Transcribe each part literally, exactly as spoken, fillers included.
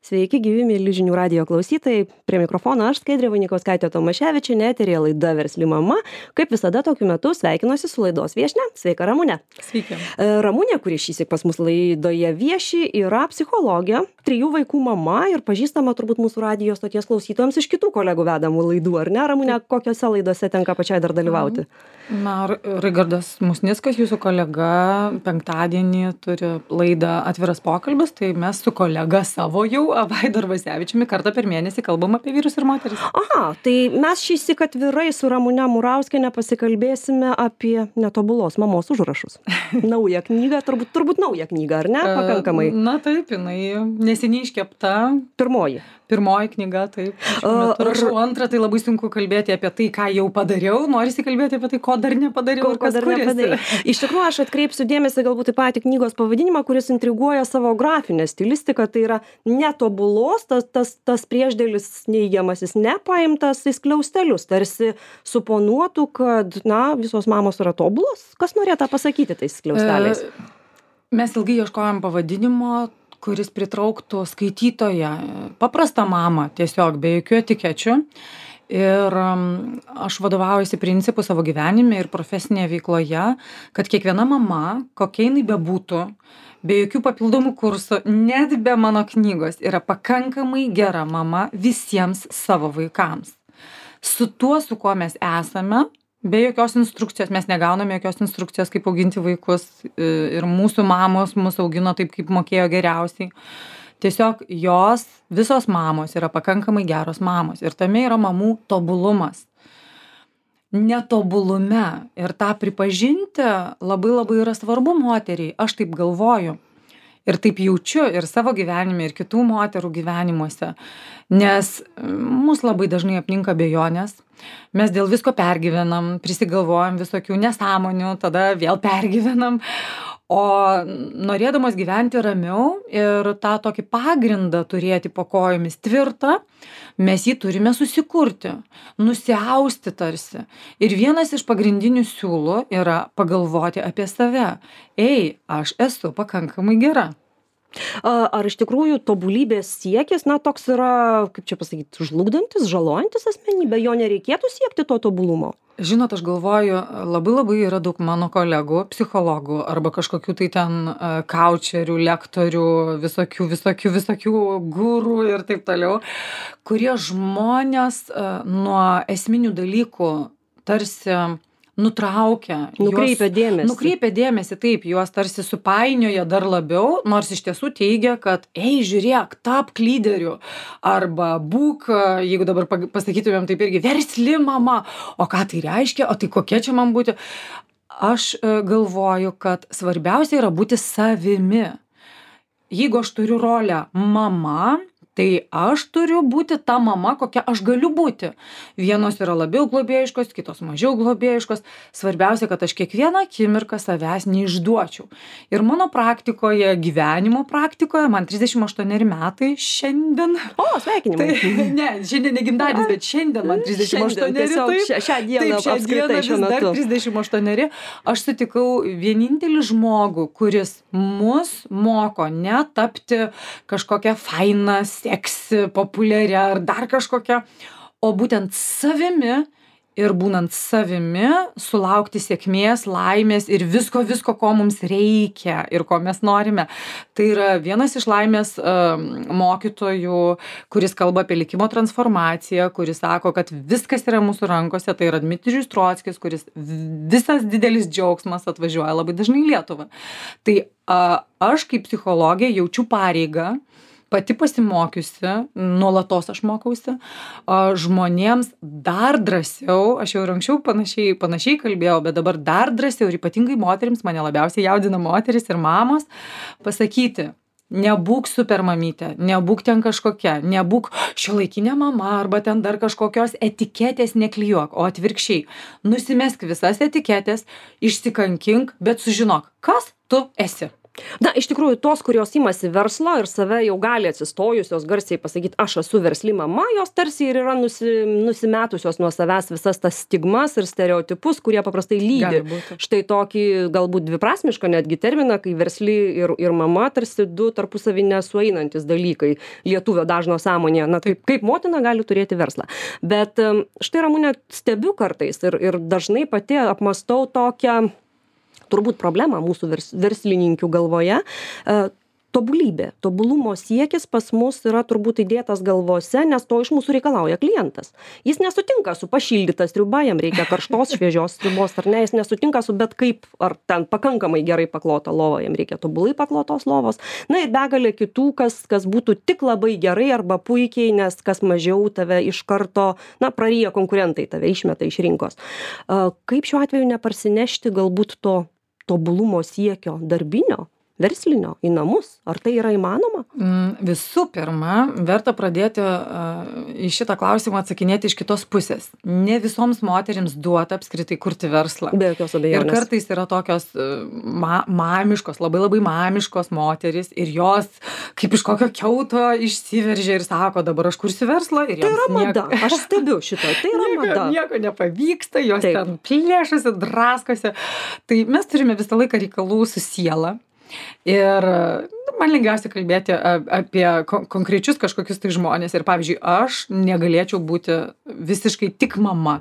Sveiki, gyvi mėly žinių radijo klausytojai. Prie mikrofono aš Skaidrė Vainikauskaitė Tomaševičienė, eteryje laida Versli mama. Kaip visada tokiu metu sveikinuosi su laidos viešnia. Sveika, Ramunė. Sveiki. Ramunė, kuri šįsyk pas mus laidoje vieši, yra psichologė, trijų vaikų mama ir pažįstama turbūt mūsų radijo stoties klausytojams iš kitų kolegų vedamų laidų, ar ne? Ramunė, kokiose laidose tenka pačiai dar dalyvauti? Na, Raigardas Musnickas, jūsų kolega, penktadienį turi laidą Atviras pokalbis, tai mes su kolega savo jau, Vaidu Arvasevičiumi, kartą per mėnesį kalbam apie vyrus ir moteris. Aha, tai mes šįsyk atvirai su Ramune Murauskiene pasikalbėsime apie netobulos mamos užrašus. Naują knygą, turbūt, turbūt naują knygą, ar ne? Pakankamai. Na taip, jinai neseniai iškepta. Pirmoji. Pirmoji knyga, taip. Rašau antrą, tai labai sunku kalbėti apie tai, ką jau padariau. Norisi kalbėti apie tai, ko dar nepadariau. Ko, ko dar nepadariau. Iš tikrųjų, aš atkreipsiu dėmesį galbūt į patį knygos pavadinimą, kuris intriguoja savo grafinę stilistiką. Tai yra netobulos, tas, tas, tas priešdėlis neigiamasis nepaimtas į skliaustelius. Tarsi suponuotų, kad, na, visos mamos yra tobulos. Kas norėtų pasakyti tais skliausteliais? E, mes ilgai ieškojom pavadinimo, kuris pritrauktų skaitytoją, paprastą mamą, tiesiog be jokių etikečių. Ir aš vadovaujuosi principu savo gyvenime ir profesinėje veikloje, kad kiekviena mama, kokia jinai bebūtų, be jokių papildomų kursų, net be mano knygos, yra pakankamai gera mama visiems savo vaikams. Su tuo, su kuo mes esame, be jokios instrukcijos, mes negauname jokios instrukcijos, kaip auginti vaikus ir mūsų mamos mus augino taip, kaip mokėjo geriausiai. Tiesiog jos, visos mamos yra pakankamai geros mamos ir tame yra mamų tobulumas. Netobulume ir tą pripažinti labai labai yra svarbu moteriai, aš taip galvoju. Ir taip jaučiu ir savo gyvenime, ir kitų moterų gyvenimuose, nes mus labai dažnai apninka abejonės, mes dėl visko pergyvenam, prisigalvojam visokių nesąmonių, tada vėl pergyvenam, o norėdamas gyventi ramiau ir tą tokį pagrindą turėti po kojomis tvirtą, mes jį turime susikurti, nusiausti tarsi. Ir vienas iš pagrindinių siūlų yra pagalvoti apie save. Ei, aš esu pakankamai gera. Ar iš tikrųjų tobulybės siekis, na, toks yra, kaip čia pasakyti, žlugdantis, žalojantis asmenybė, jo nereikėtų siekti to tobulumo? Žinot, aš galvoju, labai labai yra daug mano kolegų, psichologų arba kažkokių tai ten kaučerių, lektorių, visokių, visokių, visokių gurų ir taip toliau, kurie žmonės nuo esminių dalykų tarsi nutraukia. Nukreipia dėmesį. Nukreipia dėmesį, taip, juos tarsi supainioja dar labiau, nors iš tiesų teigia, kad, ei, žiūrėk, tapk lyderiu, arba būk, jeigu dabar pasakytumėm taip irgi, versli mama, o ką tai reiškia, o tai kokia čia man būti. Aš galvoju, kad svarbiausia yra būti savimi. Jeigu aš turiu rolę mama, tai aš turiu būti ta mama, kokia aš galiu būti. Vienos yra labiau globėjiškos, kitos mažiau globėjiškos. Svarbiausia, kad aš kiekvieną akimirką savęs neišduočiau. Ir mano praktikoje, gyvenimo praktikoje, man trisdešimt aštuoneri metai šiandien. O, sveikinimai. Tai, ne, šiandien ne gimtadienis, bet šiandien man trisdešimt aštuoneri. Taip, šią dieną taip, šią apskritai šiuo metu. Dar trisdešimt aštuoneri. Aš sutikau vienintelį žmogų, kuris mus moko netapti kažkokią fainą, seksi, populiaria ar dar kažkokia, o būtent savimi ir būnant savimi sulaukti sėkmės, laimės ir visko, visko, ko mums reikia ir ko mes norime. Tai yra vienas iš laimės uh, mokytojų, kuris kalba apie likimo transformaciją, kuris sako, kad viskas yra mūsų rankose, tai yra Dmitrijus Trockis, kuris visas didelis džiaugsmas atvažiuoja labai dažnai į Lietuvą. Tai uh, aš kaip psichologė jaučiu pareigą, pati pasimokiusi, nuolatos aš mokausi, žmonėms dar drąsiau, aš jau ir anksčiau panašiai, panašiai kalbėjau, bet dabar dar drąsiau ir ypatingai moterims, mane labiausiai jaudina moteris ir mamos, pasakyti, nebūk super mamytė, nebūk ten kažkokia, nebūk šiuolaikinė mama arba ten dar kažkokios etiketės neklijuok, o atvirkščiai, nusimesk visas etiketės, išsikankink, bet sužinok, kas tu esi. Na, iš tikrųjų, tos, kurios imasi verslo ir save jau gali atsistojusios garsiai pasakyti, aš esu versli mama, jos tarsi ir yra nusi, nusimetusios nuo savęs visas tas stigmas ir stereotipus, kurie paprastai lydi. Štai tokį galbūt dviprasmišką netgi terminą, kai versli ir, ir mama tarsi du tarpusavį nesueinantis dalykai lietuvio dažno sąmonėje. Na, kaip, kaip motina gali turėti verslą. Bet štai, Ramune, stebiu kartais ir, ir dažnai pati apmastau tokią turbūt problema mūsų vers, verslininkių galvoje, e, tobulybė, tobulumo siekis pas mus yra turbūt įdėtas galvose, nes to iš mūsų reikalauja klientas. Jis nesutinka su pašildyta sriuba, jam reikia karštos, šviežios sriubos, ar ne, jis nesutinka su bet kaip, ar ten pakankamai gerai paklota lova, jam reikia tobulai paklotos lovos. Na ir begalė kitų, kas, kas būtų tik labai gerai arba puikiai, nes kas mažiau tave iš karto, na, praryja konkurentai, tave išmeta iš rinkos. E, kaip šiuo atveju neparsinešti galbūt to tobulumo siekio darbinio, verslinio į namus? Ar tai yra įmanoma? Mm, visų pirma, verta pradėti uh, į šitą klausimą atsakinėti iš kitos pusės. Ne visoms moterims duota apskritai kurti verslą. Be jokios abejonės. Ir kartais yra tokios uh, ma mamiškos, labai labai mamiškos moteris ir jos kaip iš kokio kiauto išsiveržia ir sako, dabar aš kursiu verslą. Ir tai yra mada. Nieko, aš stebiu šitą. Tai yra nieko, mada. Nieko nepavyksta, jos Taip. ten plėšasi, draskosi. Tai mes turime visą laiką reikalų su siela. Ir man lengviausia kalbėti apie konkrečius kažkokius tai žmonės. Ir pavyzdžiui, aš negalėčiau būti visiškai tik mama.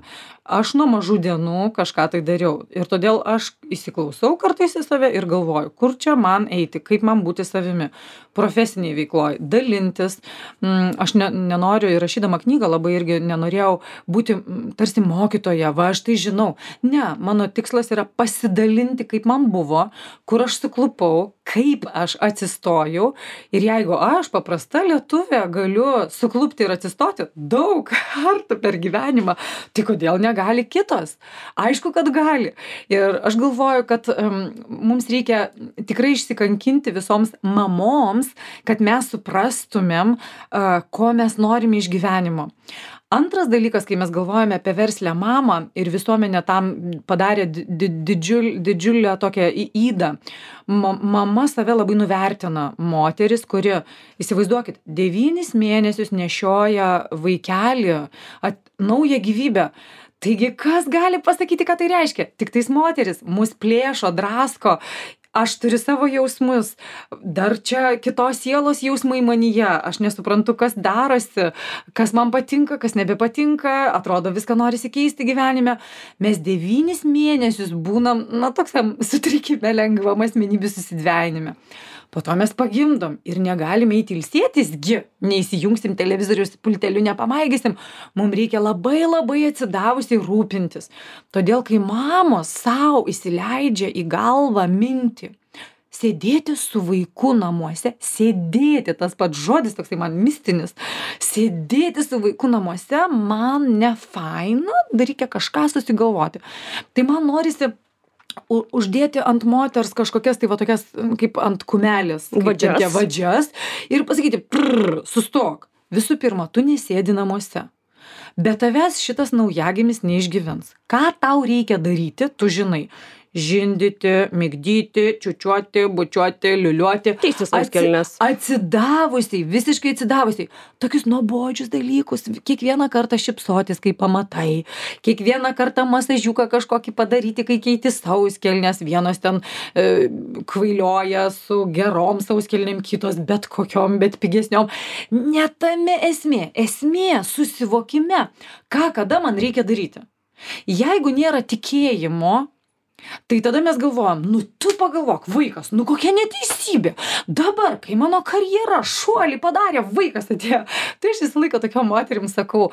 Aš nuo mažų dienų kažką tai dariau. Ir todėl aš įsiklausau kartais į save ir galvoju, kur čia man eiti, kaip man būti savimi. Profesiniai veikloj, dalintis. Aš ne, nenoriu, ir rašydama knygą labai irgi nenorėjau būti tarsi mokytoja, va aš tai žinau. Ne, mano tikslas yra pasidalinti, kaip man buvo, kur aš suklupau, kaip aš atsistojau. Ir jeigu aš, paprasta lietuvė, galiu suklupti ir atsistoti daug kartų per gyvenimą, tai kodėl negali? Gali kitos. Aišku, kad gali. Ir aš galvoju, kad um, mums reikia tikrai išsikankinti visoms mamoms, kad mes suprastumėm, uh, ko mes norime iš gyvenimo. Antras dalykas, kai mes galvojame apie verslę mamą ir visuomenė tam padarė di didžiul, didžiulę tokią įdą. Ma mama save labai nuvertina. Moteris, kuri, įsivaizduokit, devynis mėnesius nešioja vaikelį, at, naują gyvybę. Taigi, kas gali pasakyti, ką tai reiškia? Tik tais moteris mus plėšo, drasko. Aš turiu savo jausmus, dar čia kitos sielos jausmai manyje, aš nesuprantu, kas darosi, kas man patinka, kas nebepatinka, atrodo viską norisi keisti gyvenime. Mes devynis mėnesius būnam, na, toksam sutrikime lengvam asmenybių susidvejinime. Po to mes pagimdom ir negalime eiti ilsėtisgi, neįsijungsim televizorius pulteliu, nepamaigysim. Mums reikia labai labai atsidavusiai rūpintis. Todėl, kai mamos savo įsileidžia į galvą mintį, sėdėti su vaiku namuose, sėdėti, tas pats žodis toksai man mistinis, sėdėti su vaiku namuose, man ne faina, dar reikia kažką susigalvoti. Tai man norisi uždėti ant moters kažkokias, tai va tokias, kaip ant kumelės, vadžias. vadžias ir pasakyti, prrr, sustok. Visų pirma, tu nesėdi namuose. Be tavęs šitas naujagimis neišgyvens. Ką tau reikia daryti, tu žinai. Žindyti, migdyti, čiučiuoti, bučiuoti, liuliuoti. Keisti sauskelnes. Atsidavusiai, visiškai atsidavusiai. Tokius nuobodžius dalykus. Kiekvieną kartą šypsotis, kai pamatai. Kiekvieną kartą masažiuką kažkokį padaryti, kai keiti sauskelnes. Vienos ten e, kvailioja su gerom sauskelnėm, kitos bet kokiom, bet pigesniom. Ne tame esmė. Esmė susivokime, ką kada man reikia daryti. Jeigu nėra tikėjimo, tai tada mes galvojam, nu tu pagalvok, vaikas, nu kokia neteisybė. Dabar, kai mano karjera šuolį padarė, vaikas atėjo. Tai aš visą laiką tokiom moterim sakau,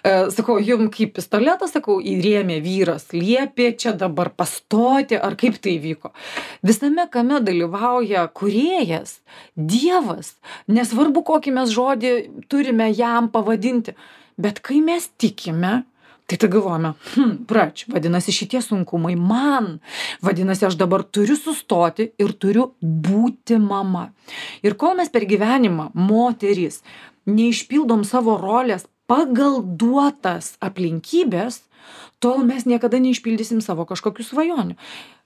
e, sakau, jum kaip pistoletas, sakau, įrėmė vyras, liepė čia dabar pastoti, ar kaip tai vyko. Visame kame dalyvauja kūrėjas, Dievas, nesvarbu kokį mes žodį turime jam pavadinti, bet kai mes tikime, tai tai galvojame, hm, prač, vadinasi šitie sunkumai man, vadinasi aš dabar turiu sustoti ir turiu būti mama. Ir kol mes per gyvenimą, moterys, neišpildom savo rolės pagal duotas aplinkybės, tol mes niekada neišpildysim savo kažkokių svajonių.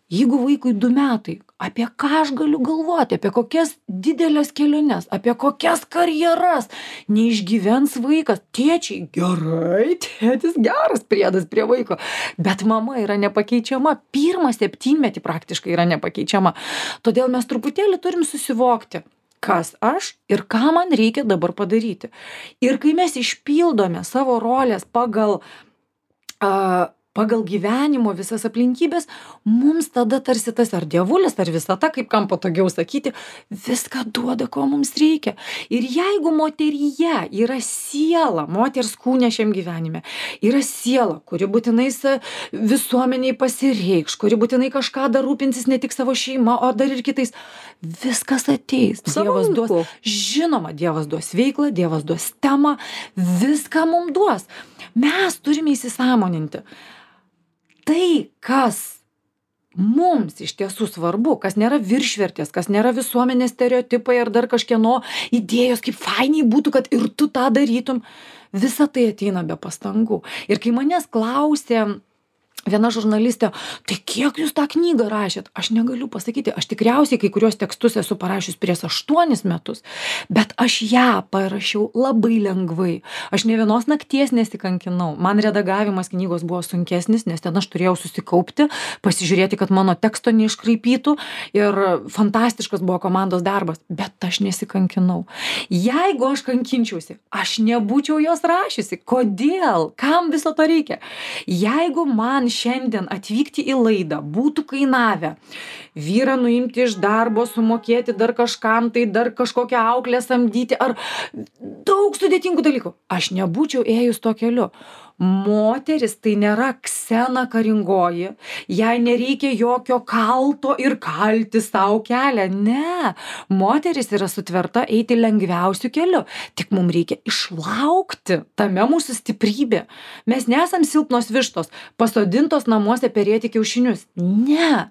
Jeigu vaikui du metai, apie ką aš galiu galvoti, apie kokias didelės keliones, apie kokias karjeras neišgyvens vaikas. Tėčiai, gerai, tėtis geras priedas prie vaiko, bet mama yra nepakeičiama, pirmą septynmetį praktiškai yra nepakeičiama. Todėl mes truputėlį turim susivokti, kas aš ir ką man reikia dabar padaryti. Ir kai mes išpildome savo rolės pagal uh, pagal gyvenimo visas aplinkybės, mums tada tarsi tas ar dievulis, ar visata, kaip kam patogiau sakyti, viską duoda, ko mums reikia. Ir jeigu moteryje yra siela, moters kūne šiam gyvenime, yra siela, kuri būtinai visuomeniai pasireikš, kuri būtinai kažką dar rūpinsis ne tik savo šeima, o dar ir kitais, viskas ateis. Dievas duos, žinoma, Dievas duos veiklą, Dievas duos temą, viską mums duos. Mes turime įsisąmoninti. Tai, kas mums iš tiesų svarbu, kas nėra viršvertės, kas nėra visuomenės stereotipai ar dar kažkieno idėjos, kaip fainiai būtų, kad ir tu tą darytum, visa tai ateina be pastangų. Ir kai manęs klausė viena žurnalistė, tai kiek jūs tą knygą rašėt? Aš negaliu pasakyti, aš tikriausiai kai kurios tekstus esu parašius prieš aštuonis metus, bet aš ją parašiau labai lengvai. Aš ne vienos nakties nesikankinau. Man redagavimas knygos buvo sunkesnis, nes ten aš turėjau susikaupti, pasižiūrėti, kad mano teksto neiškraipytų ir fantastiškas buvo komandos darbas, bet aš nesikankinau. Jeigu aš kankinčiausi, aš nebūčiau jos rašiusi. Kodėl? Kam viso to reikia? Jeigu man šiandien atvykti į laidą būtų kainavę vyrą nuimti iš darbo, sumokėti dar kažkam, tai dar kažkokią auklę samdyti ar daug sudėtingų dalykų, aš nebūčiau ėjus to keliu. Moteris tai nėra Ksena karingoji, jai nereikia jokio kalto ir kalti savo kelią. Ne, moteris yra sutverta eiti lengviausiu keliu, tik mums reikia išlaukti, tame mūsų stiprybė. Mes nesam silpnos vištos, pasodintos namuose perėti kiaušinius. Ne.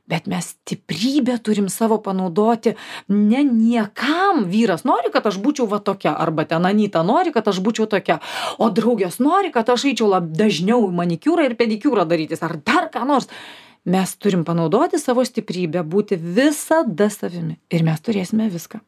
Bet mes stiprybę turim savo panaudoti ne niekam. Vyras nori, kad aš būčiau va tokia, arba ten Anyta nori, kad aš būčiau tokia, o draugės nori, kad aš eičiau lab dažniau manikiūrą ir pedikiūrą darytis, ar dar ką nors. Mes turim panaudoti savo stiprybę, būti visada savimi ir mes turėsime viską.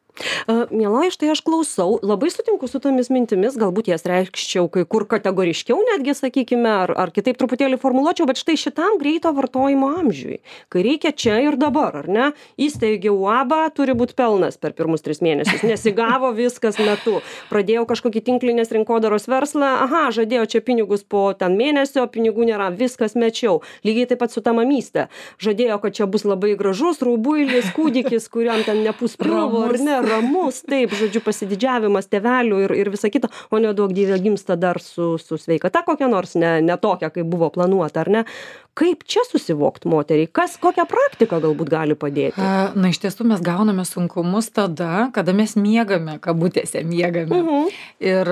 Miela, štai aš klausau, labai sutinku su tomis mintimis, galbūt jas reikščiau kai kur kategoriškiau netgi, sakykime, ar, ar kitaip truputėlį formuluočiau, bet štai šitam greito vartojimo amžiui, kai reikia čia ir dabar, ar ne? Įsteigiau uabą, turi būti pelnas per pirmus tris mėnesius, nesigavo viskas metu. Pradėjau kažkokį tinklinės rinkodaros verslą, aha, žadėjau čia pinigus po ten mėnesio, pinigų nėra, viskas mečiau. Lygiai taip pat su ta mamyste. Žadėjau, kad čia bus labai gražus, raubuilis, kūdikis, kuriam ten nepūs pilvo, ar ne? Ramus, taip, žodžiu, pasididžiavimas tėvelių ir, ir visa kita, o neduok dievė gimsta dar su, su sveikata kokia nors, ne, ne tokia, kaip buvo planuota, ar ne? Kaip čia susivokti moteriai? Kas, kokią praktiką galbūt gali padėti? Na, iš tiesų mes gauname sunkumus tada, kada mes miegame, kabutėse miegame. Uh -huh. Ir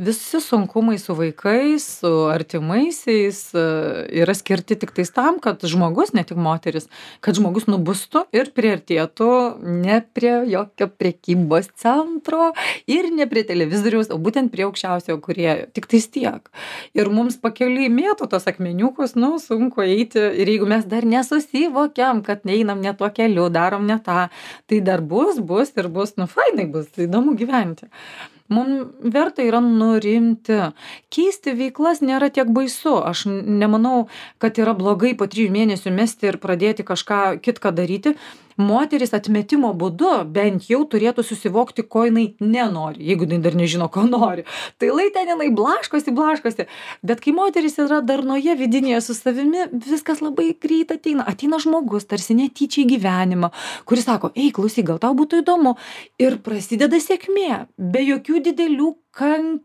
visi sunkumai su vaikais, su artimaisiais yra skirti tik tais tam, kad žmogus, ne tik moteris, kad žmogus nubustų ir priartėtų ne prie jokio prekybos centro ir ne prie televizoriaus, o būtent prie aukščiausiojo kūrėjo. Tik tais tiek. Ir mums pakeliui mėto tos akmeniukus, nu, sunku eiti ir jeigu mes dar nesusivokiam, kad neinam ne tuo keliu, darom ne tą, tai dar bus, bus ir bus, nu fainai bus, įdomu gyventi. Mums verta yra nurimti. Keisti veiklas nėra tiek baisu. Aš nemanau, kad yra blogai po trijų mėnesių mesti ir pradėti kažką kitką daryti. Moteris atmetimo būdu bent jau turėtų susivokti, ko jinai nenori, jeigu jinai dar nežino, ko nori. Tai lai ten jinai blaškosi, blaškosi. Bet kai moteris yra darnoje vidinėje su savimi, viskas labai greit ateina. Ateina žmogus, tarsi netyčia į gyvenimą, kuris sako, ei, klausyk, gal tau būtų įdomu. Ir prasideda sėkmė, be jokių didelių kan...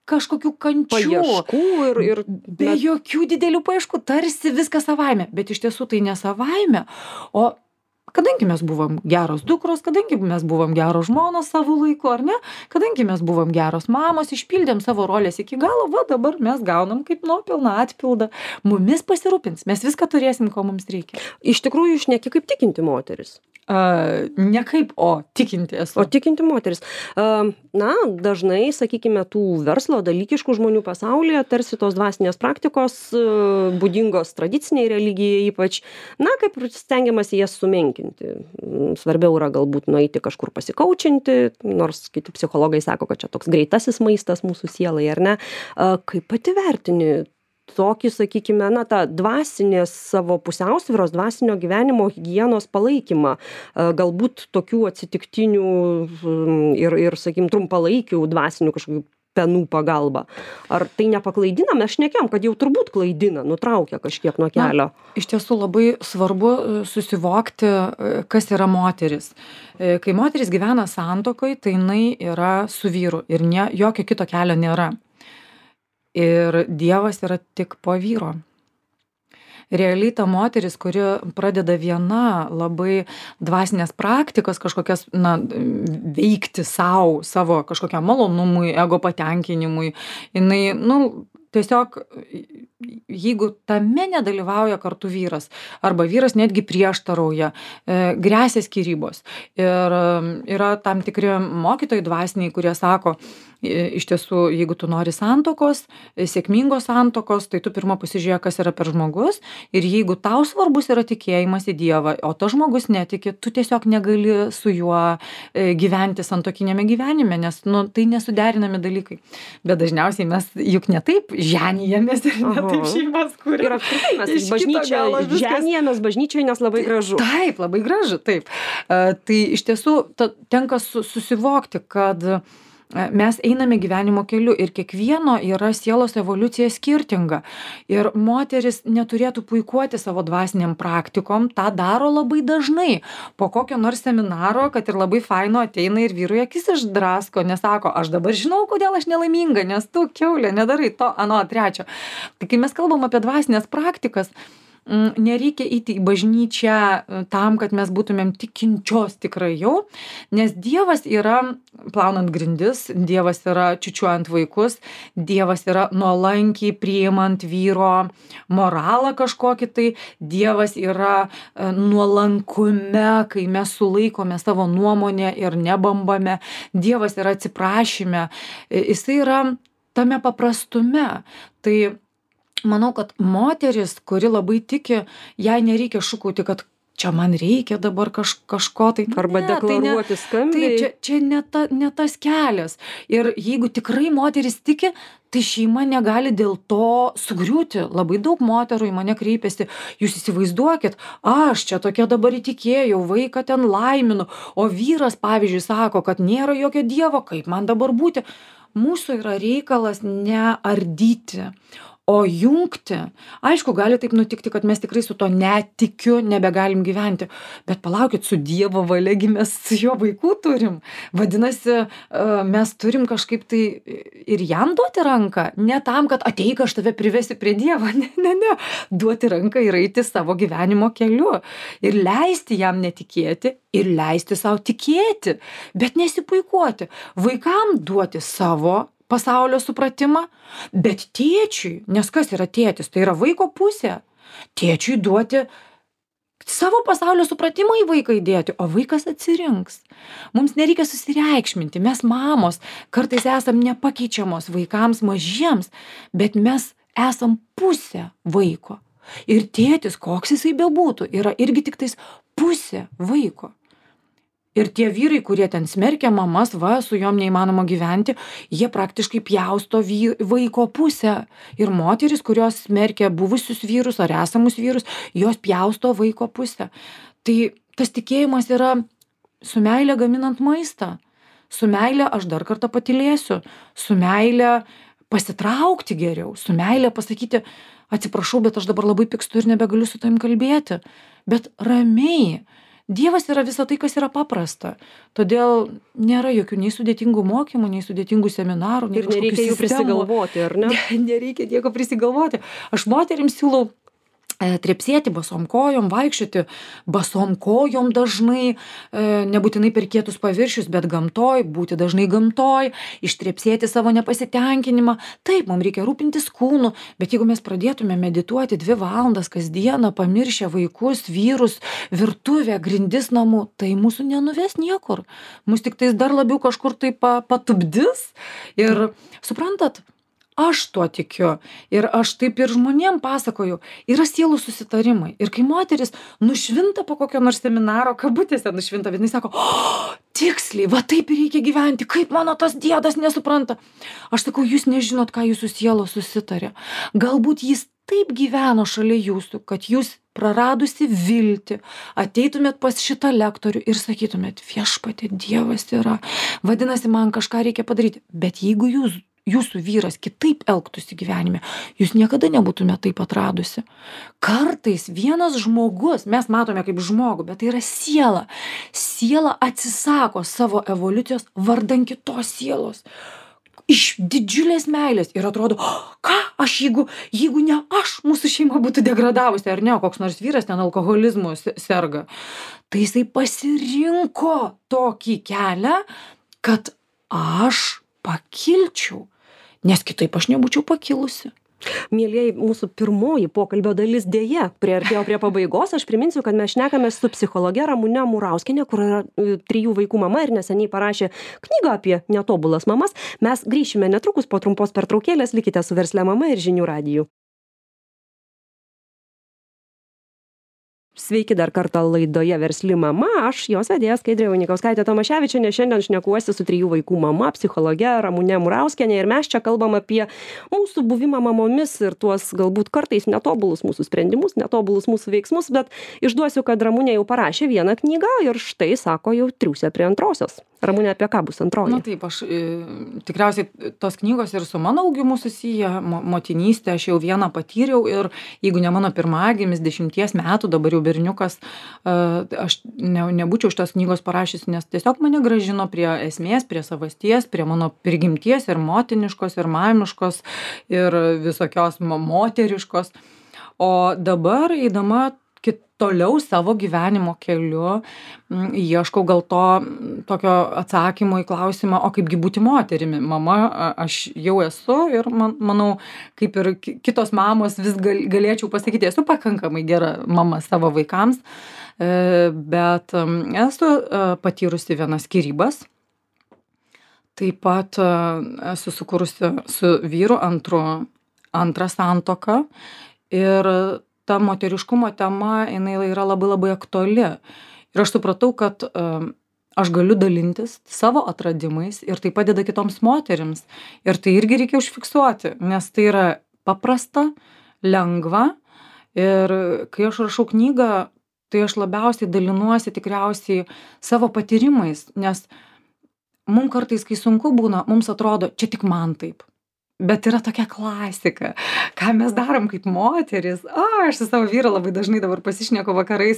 kažkokių kančių. Paieškų ir... ir be bet... jokių didelių paieškų, tarsi viskas savaime. Bet iš tiesų tai ne savaime, o kadangi mes buvom geros dukros, kadangi mes buvom geros žmonos savo laiku, ar ne, kadangi mes buvom geros mamos, išpildėm savo rolės iki galo, va dabar mes gaunam kaip nuopelną atpildą. Mumis pasirūpins, mes viską turėsim, ko mums reikia. Iš tikrųjų, šneki kaip tikinti moteris. Uh, ne kaip, o tikinti esu. O tikinti moteris. Uh, na, dažnai, sakykime, tų verslo dalykiškų žmonių pasaulyje tarsi tos dvasinės praktikos uh, būdingos tradiciniai religijai ypač, na, kaip stengiamasi jas sumenkinti. Svarbiau yra galbūt nueiti kažkur pasikaučinti, nors kiti psichologai sako, kad čia toks greitasis maistas mūsų sielai, ar ne? Uh, kaip pati vertini tokį, sakykime, na, tą dvasinės savo pusiausvyros, dvasinio gyvenimo higienos palaikymą, galbūt tokių atsitiktinių ir, ir sakykim, trumpalaikių dvasinių kažkokių penų pagalba. Ar tai nepaklaidina? Mes šnekėjom, kad jau turbūt klaidina, nutraukia kažkiek nuo kelio. Na, iš tiesų labai svarbu susivokti, kas yra moteris. Kai moteris gyvena santuokoje, tai jinai yra su vyru ir ne, jokio kito kelio nėra. Ir Dievas yra tik po vyro. Realiai ta moteris, kuri pradeda viena labai dvasinės praktikas kažkokias, na, veikti savo, savo kažkokiam malonumui, ego patenkinimui, jinai, nu, tiesiog, jeigu tame nedalyvauja kartu vyras, arba vyras netgi prieštarauja, e, gresia skyrybos. Ir yra tam tikri mokytojai dvasiniai, kurie sako, iš tiesų, jeigu tu nori santuokos, sėkmingos santuokos, tai tu pirma pasižiūrėk, kas yra per žmogus, ir jeigu tau svarbus yra tikėjimas į Dievą, o tas žmogus netiki, tu tiesiog negali su juo gyventi santuokinėme gyvenime, nes, nu, tai nesuderinami dalykai. Bet dažniausiai mes juk ne taip ženijamės ir ne taip šeimas kūrėme. Ir apskritai mes bažnyčia, ženijamės bažnyčioje, nes labai gražu. Taip, labai gražu, taip. Uh, tai iš tiesų ta, tenka su, susivokti, kad mes einame gyvenimo keliu ir kiekvieno yra sielos evoliucija skirtinga. Ir moteris neturėtų puikuoti savo dvasiniam praktikom, tą daro labai dažnai. Po kokio nors seminaro, kad ir labai faino ateina ir vyrui akis išdrasko, nesako, aš dabar žinau, kodėl aš nelaiminga, nes tu, kiaulė, nedarai to, ano, trečio. Tai kai mes kalbam apie dvasinės praktikas, nereikia eiti į bažnyčią tam, kad mes būtumėm tikinčios tikrai jau, nes Dievas yra plaunant grindis, Dievas yra čiučiuojant vaikus, Dievas yra nuolankiai priimant vyro moralą kažkokį, tai Dievas yra nuolankume, kai mes sulaikome savo nuomonę ir nebambame, Dievas yra atsiprašyme, jisai yra tame paprastume. Tai manau, kad moteris, kuri labai tiki, jai nereikia šūkauti, kad čia man reikia dabar kaž, kažko tai. Arba ne, deklaruoti tai skambiai. Tai čia, čia ne, ta, ne tas kelias. Ir jeigu tikrai moteris tiki, tai šeima negali dėl to sugriūti. Labai daug moterų į mane kreipiasi, jūs įsivaizduokit, aš čia tokia dabar įtikėjau, vaiką ten laiminu, o vyras, pavyzdžiui, sako, kad nėra jokio Dievo, kaip man dabar būti. Mūsų yra reikalas neardyti, o jungti. Aišku, gali taip nutikti, kad mes tikrai su to netikiu, nebegalim gyventi. Bet palaukit, su Dievo valiagi mes su jo vaikų turim. Vadinasi, mes turim kažkaip tai ir jam duoti ranką. Ne tam, kad ateik, aš tave privesiu prie Dievo. Ne, ne, ne. Duoti ranką ir eiti savo gyvenimo keliu. Ir leisti jam netikėti, ir leisti savo tikėti. Bet nesipuikuoti. Vaikam duoti savo pasaulio supratimą, bet tėčiui, nes kas yra tėtis, tai yra vaiko pusė, tėčiui duoti savo pasaulio supratimą į vaiką įdėti, o vaikas atsirinks. Mums nereikia susireikšminti, mes mamos kartais esam nepakeičiamos vaikams mažiems, bet mes esam pusė vaiko. Ir tėtis, koks jisai bebūtų, yra irgi tik tais pusė vaiko. Ir tie vyrai, kurie ten smerkia mamas, va, su jom neįmanoma gyventi, jie praktiškai pjausto vy, vaiko pusę. Ir moteris, kurios smerkia buvusius vyrus ar esamus vyrus, jos pjausto vaiko pusę. Tai tas tikėjimas yra su meile gaminant maistą. Su meile aš dar kartą patylėsiu. Su meile pasitraukti geriau. Su meile pasakyti, atsiprašau, bet aš dabar labai pykstu ir nebegaliu su tavim kalbėti. Bet ramiai. Dievas yra visa tai, kas yra paprasta. Todėl nėra jokių nei sudėtingų mokymų, nei sudėtingų seminarų. Nei ir nereikia jų prisigalvoti, ar ne? ne? Nereikia nieko prisigalvoti. Aš moterims siūlau trepsėti basom kojom, vaikščioti basom kojom dažnai, nebūtinai per kietus paviršius, bet gamtoj, būti dažnai gamtoj, ištrepsėti savo nepasitenkinimą. Taip, mums reikia rūpintis kūnu, bet jeigu mes pradėtume medituoti dvi valandas kasdieną, pamiršę vaikus, vyrus, virtuvę, grindis namų, tai mūsų nenuves niekur. Mūsų tik tais dar labiau kažkur tai patupdis. Ir suprantat, aš tuo tikiu ir aš taip ir žmonėm pasakoju, yra sielų susitarimai. Ir kai moteris nušvinta po kokio nors seminaro, kabutėse nušvinta, bet jinai sako, o, tiksliai, va taip ir reikia gyventi, kaip mano tas diedas nesupranta. Aš sakau, jūs nežinot, ką jūsų sielos susitarė. Galbūt jis taip gyveno šalia jūsų, kad jūs praradusi viltį, ateitumėt pas šitą lektorių ir sakytumėt, viešpatie, Dievas yra, vadinasi, man kažką reikia padaryti. Bet jeigu jūs jūsų vyras kitaip elgtųsi gyvenime, jūs niekada nebūtumėte taip atradusi. Kartais vienas žmogus, mes matome kaip žmogų, bet tai yra siela. Siela atsisako savo evoliucijos vardan kitos sielos. Iš didžiulės meilės ir atrodo, ką aš, jeigu, jeigu ne aš, mūsų šeima būtų degradavusi, ar ne, koks nors vyras ten alkoholizmu serga. Tai jisai pasirinko tokį kelią, kad aš pakilčiau, nes kitaip aš nebūčiau pakilusi. Mielieji, mūsų pirmoji pokalbio dalis dėja priartėjo prie pabaigos. Aš priminsiu, kad mes šnekame su psichologe Ramune Murauskiene, kur yra trijų vaikų mama ir neseniai parašė knygą apie netobulas mamas. Mes grįšime netrukus po trumpos pertraukėlės. Likite su Verslia mama ir Žinių radiju. Sveiki dar kartą laidoje Versli mama, aš jos vedėja Skaidrė Vainikausskaitė Tomaševičienė, šiandien šnekuosi su trijų vaikų mama, psichologe Ramune Murauskiene ir mes čia kalbam apie mūsų buvimą mamomis ir tuos galbūt kartais netobulus mūsų sprendimus, netobulus mūsų veiksmus, bet išduosiu, kad Ramunė jau parašė vieną knygą ir štai, sako, jau triūsia prie antrosios. Ramune, apie ką bus antroji? Na taip, aš e, tikriausiai tos knygos ir su mano augimu susiję, mo, motinystė, aš jau vieną patyriau ir jeigu ne mano pirmagimis dešimties metų, dabar jau berniukas, e, aš ne, nebūčiau šitos knygos parašysi, nes tiesiog mane grąžino prie esmės, prie savasties, prie mano prigimties ir motiniškos, ir mamiškos, ir visokios moteriškos. O dabar, eidama toliau savo gyvenimo keliu, ieškau gal to tokio atsakymo į klausimą, o kaipgi būti moterimi. Mama aš jau esu ir man, manau, kaip ir kitos mamos vis gal, galėčiau pasakyti, esu pakankamai gera mama savo vaikams, bet esu patyrusi vienas skyrybas. Taip pat esu sukūrusi su vyru antru, antrą santuoką ir ta moteriškumo tema, jinai yra labai labai aktuali. Ir aš supratau, kad um, aš galiu dalintis savo atradimais ir tai padeda kitoms moterims. Ir tai irgi reikia užfiksuoti, nes tai yra paprasta, lengva. Ir kai aš rašau knygą, tai aš labiausiai dalinuosi tikriausiai savo patyrimais, nes mums kartais, kai sunku būna, mums atrodo, čia tik man taip. Bet yra tokia klasika, ką mes darom kaip moteris. O, aš su savo vyru labai dažnai dabar pasišneku vakarais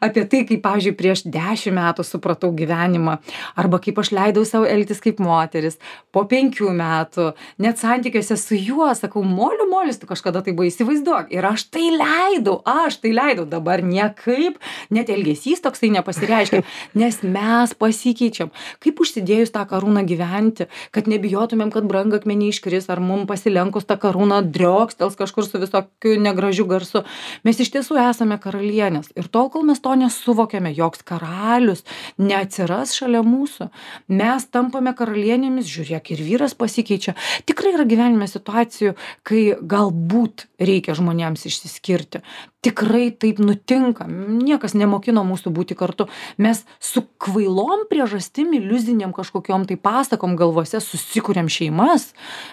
apie tai, kaip, pavyzdžiui, prieš dešimt metų supratau gyvenimą, arba kaip aš leidau savo elgtis kaip moteris, po penkių metų, net santykiuose su juo, sakau, moliu, molis, tu kažkada tai buvo, įsivaizduok. Ir aš tai leidau, aš tai leidau, dabar niekaip, net elgesys toksai nepasireiškia, nes mes pasikeičiam. Kaip užsidėjus tą karūną gyventi, kad nebijotumėm, kad brangakmeniai iškris, ar mum pasilenkus tą karūną driokstels kažkur su visokiu negražiu garsu. Mes iš tiesų esame karalienės. Ir tol, kol mes to nesuvokiame, joks karalius neatsiras šalia mūsų. Mes tampame karalienėmis, žiūrėk, ir vyras pasikeičia. Tikrai yra gyvenime situacijų, kai galbūt reikia žmonėms išsiskirti. Tikrai taip nutinka. Niekas nemokino mūsų būti kartu. Mes su kvailom priežastim, iliuzinėm kažkokiom tai pasakom galvose susikuriam šeimas.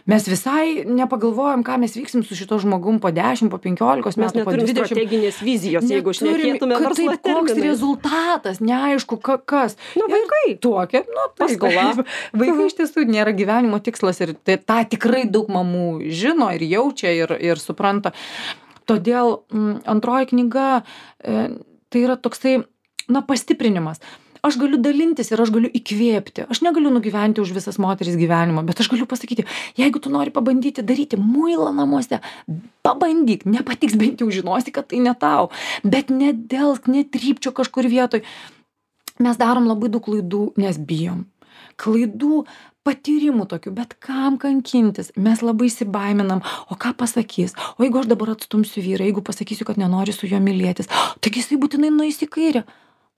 Mes visai nepagalvojam, ką mes vyksim su šito žmogum po dešimt, po penkiolikos metų, po dvidešimt. Strateginės vizijos, jeigu šnekėtume verslo terminais. Koks rezultatas, neaišku, ka, kas. Nu, vaikai. Tokia, nu, paskola. Vaikai iš tiesų nėra gyvenimo tikslas ir tai, tą tikrai daug mamų žino ir jaučia ir, ir supranta. Todėl m, antroji knyga e, tai yra toksai, na, pastiprinimas. aš galiu dalintis ir aš galiu įkvėpti. Aš negaliu nugyventi už visas moteris gyvenimą, bet aš galiu pasakyti, jeigu tu nori pabandyti daryti muilą namuose, pabandyk, nepatiks, bent jau žinosi, kad tai ne tau, bet nedelsk, netrypčio kažkur vietoj. Mes darom labai daug klaidų, nes bijom. Klaidų, patyrimų tokių, bet kam kankintis, mes labai įsibaiminam, o ką pasakys, o jeigu aš dabar atstumsiu vyrą, jeigu pasakysiu, kad nenori su juo mylėtis, taigi jisai būtinai nueis į kairę.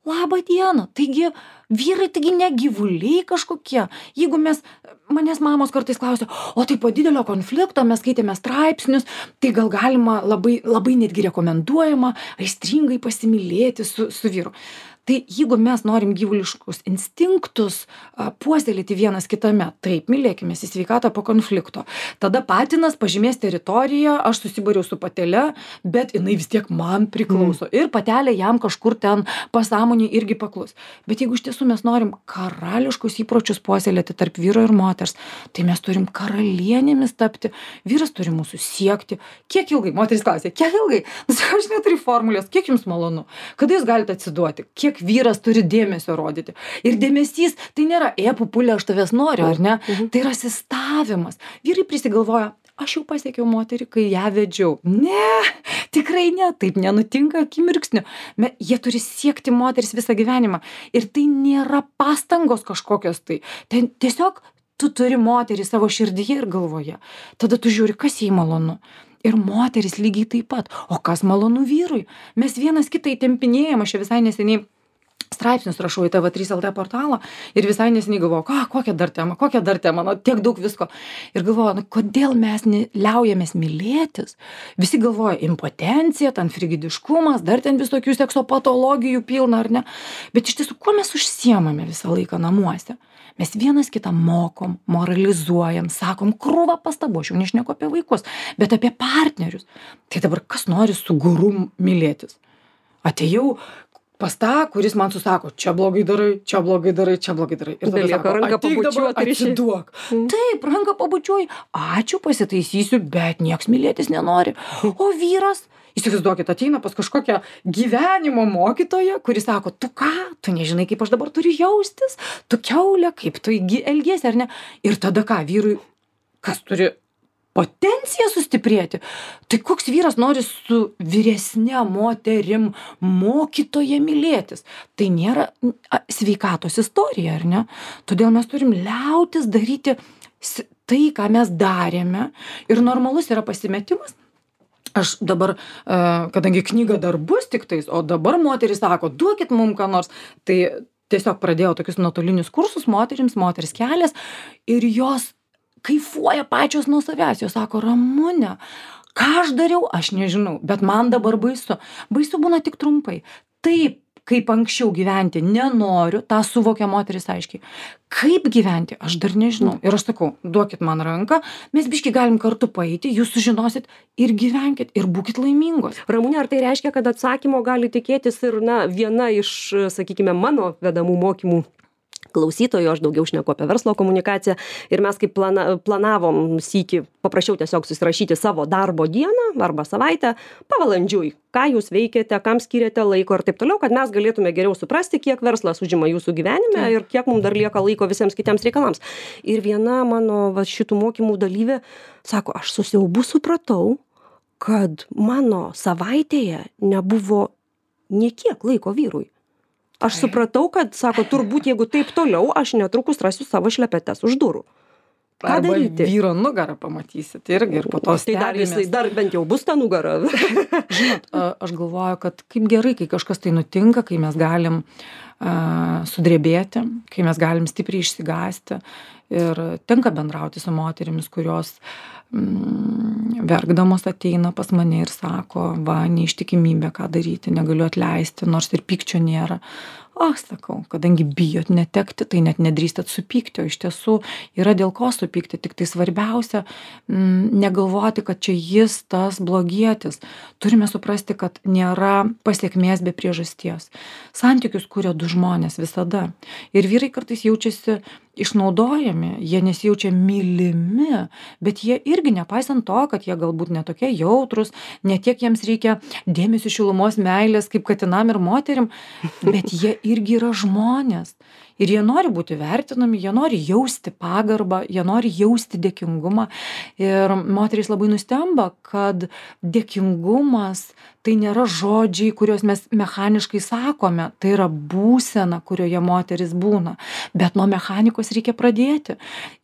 Labą dieną, taigi vyrai, taigi ne gyvuliai kažkokie. Jeigu mes, manęs mamos kartais klausia, o tai po didelio konflikto mes skaitėme straipsnius, tai gal galima labai, labai netgi rekomenduojama aistringai pasimylėti su, su vyru. Tai jeigu mes norim gyvuliškus instinktus a, puoselėti vienas kitame, taip, mylėkimės į sveikatą po konflikto. Tada patinas pažymės teritoriją, aš susibariau su patele, bet jinai vis tiek man priklauso. Mm. Ir patelė jam kažkur ten pasąmonė irgi paklus. Bet jeigu iš tiesų mes norim karališkus įpročius puoselėti tarp vyro ir moters, tai mes turim karalienėmis tapti. Vyras turi mūsų siekti. Kiek ilgai? Moteris klausė, kiek ilgai? Aš neturiu formulės, kiek jums malonu? Kada jūs galite atsiduoti? Kiek vyras turi dėmesio rodyti. Ir dėmesys, tai nėra, e, pupulė, aš tavęs noriu, ar ne? Mhm. Tai yra asistavimas. Vyrai prisigalvoja, aš jau pasiekiau moterį, kai ją vedžiau. Ne, tikrai ne, taip nenutinka akimirksniu. Me, jie turi siekti moteris visą gyvenimą. Ir tai nėra pastangos kažkokios tai. Ten tiesiog tu turi moterį savo širdyje ir galvoje. Tada tu žiūri, kas jai malonu. Ir moteris lygiai taip pat. O kas malonu vyrui? Mes vienas kitą įtempinėjam, aš čia visai neseniai straipsnius rašau į T V trys L T portalą ir visai neseniai galvoju, ką, kokią dar temą, kokią dar temą, nu, tiek daug visko. Ir galvoju, nu, kodėl mes liaujamės mylėtis? Visi galvoja, impotencija, ten frigidiškumas, dar ten visokių sekso patologijų pilna, ar ne? Bet iš tiesų, kuo mes užsiemame visą laiką namuose? Mes vienas kitą mokom, moralizuojam, sakom krūvą pastabų, aš jau nešneku apie vaikus, bet apie partnerius. Tai dabar kas nori su guru mylėtis? Atėjau pas tą, kuris man susako, čia blogai darai, čia blogai darai, čia blogai darai. Ir tada sako, ranką pabučiuoti, atsiduok. Mm. Taip, ranką pabučiuoji, ačiū, pasitaisysiu, bet nieks mylėtis nenori. O vyras, įsivaizduokit, ateina pas kažkokią gyvenimo mokytoją, kuris sako, tu ką, tu nežinai, kaip aš dabar turiu jaustis, tu kiaulė, kaip tu elgiesi, ar ne? Ir tada ką, vyrui, kas turi potenciją sustiprėti. Tai koks vyras nori su vyresne moterim mokytoja mylėtis? Tai nėra sveikatos istorija, ar ne? Todėl mes turim liautis daryti tai, ką mes darėme. Ir normalus yra pasimetimas. Aš dabar, kadangi knyga dar bus tik tais, o dabar moteris sako, duokit mum ką nors, tai tiesiog pradėjau tokius nuotolinius kursus moterims, moters kelias, ir jos kaifuoja pačios nuo savęs. Jos sako, Ramune, ką aš dariau, aš nežinau, bet man dabar baisu. Baisu būna tik trumpai. Taip, kaip anksčiau gyventi nenoriu, tą suvokia moteris aiškiai. Kaip gyventi, aš dar nežinau. Ir aš sakau, duokit man ranką, mes biški galim kartu paeiti, jūs sužinosit ir gyvenkit, ir būkit laimingos. Ramune, ar tai reiškia, kad atsakymo gali tikėtis ir, na, viena iš, sakykime, mano vedamų mokymų klausytojų, aš daugiau šneku apie verslo komunikaciją, ir mes kaip plana, planavom sykį, paprašiau tiesiog susirašyti savo darbo dieną arba savaitę, pavalandžiui, ką jūs veikiate, kam skiriate laiko ir taip toliau, kad mes galėtume geriau suprasti, kiek verslas užima jūsų gyvenime ir kiek mums dar lieka laiko visiems kitiems reikalams. Ir viena mano va, šitų mokymų dalyvė sako, aš su siaubu supratau, kad mano savaitėje nebuvo nė kiek laiko vyrui. Aš supratau, kad, sako, turbūt jeigu taip toliau, aš netrukus rasiu savo šlepetes už durų. Ką Arba daryti? Vyro nugarą pamatysit irgi ir po to Tai dar, jisai, dar bent jau bus ta nugara. Žinot, aš galvoju, kad kaip gerai, kai kažkas tai nutinka, kai mes galim uh, sudrebėti, kai mes galim stipriai išsigąsti. Ir tenka bendrauti su moterimis, kurios mm, verkdamos ateina pas mane ir sako, va, neištikimybė, ką daryti, negaliu atleisti, nors ir pykčio nėra. O, sakau, kadangi bijot netekti, tai net nedrįstat supykti, o iš tiesų yra dėl ko supykti, tik tai svarbiausia m, negalvoti, kad čia jis tas blogietis. Turime suprasti, kad nėra pasiekmės be priežasties. Santykius kuria du žmonės visada. Ir vyrai kartais jaučiasi išnaudojami, jie nesijaučia mylimi, bet jie irgi, nepaisant to, kad jie galbūt netokie jautrus, netiek jiems reikia dėmesio, šilumos, meilės, kaip katinam ir moterim, bet jie irgi yra žmonės. Ir jie nori būti vertinami, jie nori jausti pagarbą, jie nori jausti dėkingumą. Ir moterys labai nustemba, kad dėkingumas tai nėra žodžiai, kuriuos mes mechaniškai sakome, tai yra būsena, kurioje moteris būna. Bet nuo mechanikos reikia pradėti.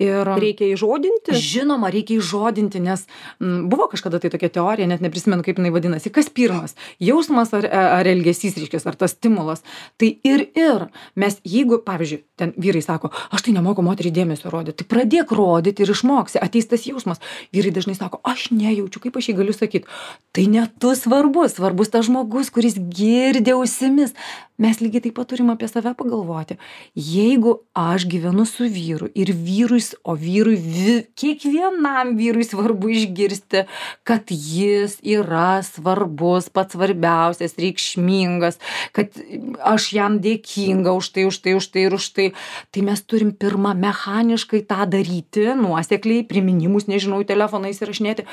Ir reikia įžodinti? Žinoma, reikia įžodinti, nes m, buvo kažkada tai tokia teorija, net neprisimenu, kaip jinai vadinasi. Kas pirmas? Jausmas ar, ar elgesys, reiškia, ar tas stimulas. Tai ir ir. Mes, jeigu, pavyzdžiui, ten vyrai sako, aš tai nemoku moterį dėmesio rodyti, tai pradėk rodyti ir išmoksi. Ateis tas jausmas. Vyrai dažnai sako, aš nejaučiu, kaip aš jį galiu sakyti. Tai ne tu svarbus. Svarbus tas žmogus, kuris girdi ausimis. Mes lygiai taip pat turim apie save pagalvoti. Jeigu aš gyvenu su vyru ir vyrui, o vyrui, vi, kiekvienam vyrui svarbu išgirsti, kad jis yra svarbus, pats svarbiausias, reikšmingas, kad aš jam dėkinga už tai, už tai, už tai ir už tai. Tai mes turim pirmą mechaniškai tą daryti, nuosekliai, priminimus, nežinau, telefonais įrašinėti.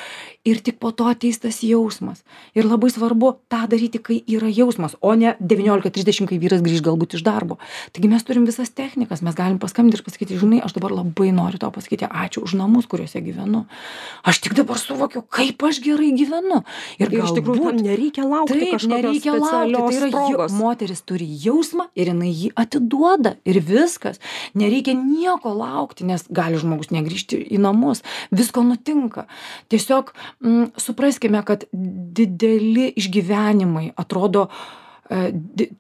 Ir tik po to ateis tas jausmas. Ir labai svarbu tą daryti, kai yra jausmas, o ne devyniolika trisdešimt, kai vyras grįž galbūt iš darbo. Taigi mes turim visas technikas, mes galim paskambinti ir pasakyti, žinai, aš dabar labai noriu tau pasakyti ačiū už namus, kuriuose gyvenu. Aš tik dabar suvokiu, kaip aš gerai gyvenu. Ir, ir iš tikrųjų tam nereikia laukti taip, kažkokios nereikia specialios laukti. Tai yra, progos. moteris turi jausmą ir jinai jį atiduoda ir viskas. Nereikia nieko laukti, nes gali žmogus negrįžti į namus. Visko nutinka. Tiesiog mm, supraskime, kad dideli išgyvenimai atrodo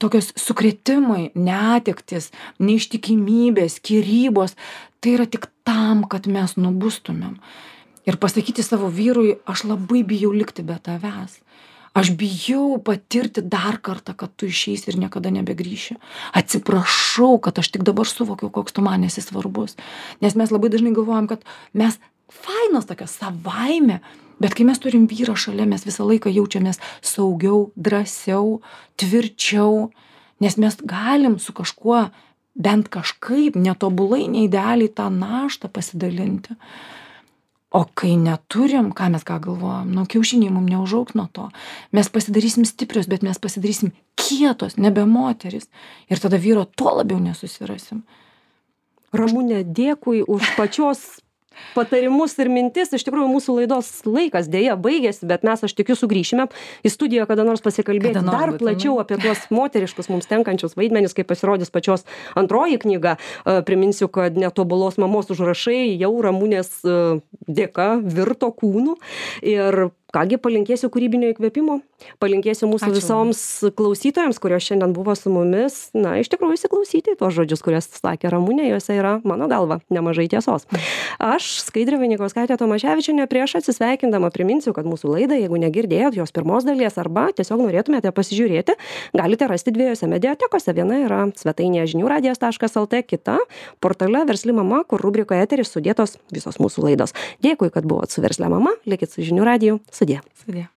tokios sukrėtimai, netektis, neištikimybės, skyrybos, tai yra tik tam, kad mes nubustumėm. Ir pasakyti savo vyrui, aš labai bijau likti be tavęs. Aš bijau patirti dar kartą, kad tu išeisi ir niekada nebegrįši. Atsiprašau, kad aš tik dabar suvokiau, koks tu man esi svarbus. Nes mes labai dažnai galvojam, kad mes fainos tokios savaime, bet kai mes turim vyrą šalia, mes visą laiką jaučiamės saugiau, drąsiau, tvirčiau, nes mes galim su kažkuo bent kažkaip netobulai, neidealiai tą naštą pasidalinti. O kai neturim, ką mes ką galvojam, nu, kiaušiniai mums neužaugs nuo to. Mes pasidarysim stiprios, bet mes pasidarysim kietos, nebe moteris. Ir tada vyro tuo labiau nesusirasim. Ramune, dėkui už pačios patarimus ir mintis. Iš tikrųjų, mūsų laidos laikas dėja baigėsi, bet mes, aš tikiu, sugrįšime į studiją kada nors pasikalbėti Kada nors dar būtinai. plačiau apie tuos moteriškus mums tenkančius vaidmenis, kai pasirodys pačios antroji knyga. E, Priminsiu, kad Netobulos mamos užrašai jau Ramunės e, dėka virto kūnu. Ir kągi, palinkėsiu kūrybinio įkvėpimo, palinkėsiu mūsų Ačiū. visoms klausytojams, kurios šiandien buvo su mumis, na, iš tikrųjų įsiklausyti į tuos žodžius, kurias sakė Ramunė, juose yra, mano galva, nemažai tiesos. Aš, Skaidrė Vainykauskaitė Tomaševičienė, prieš atsisveikindama priminsiu, kad mūsų laidą, jeigu negirdėjot jos pirmos dalies arba tiesiog norėtumėte pasižiūrėti, galite rasti dviejose mediatekose. Viena yra svetainėje žinių radijas taškas lt, kita portale Versli mama, kur rubrikoje eteris sudėtos visos mūsų laidos. Dėkui, kad buvot su Verslia mama, likit su žinių radiju. Sudie. Sudie.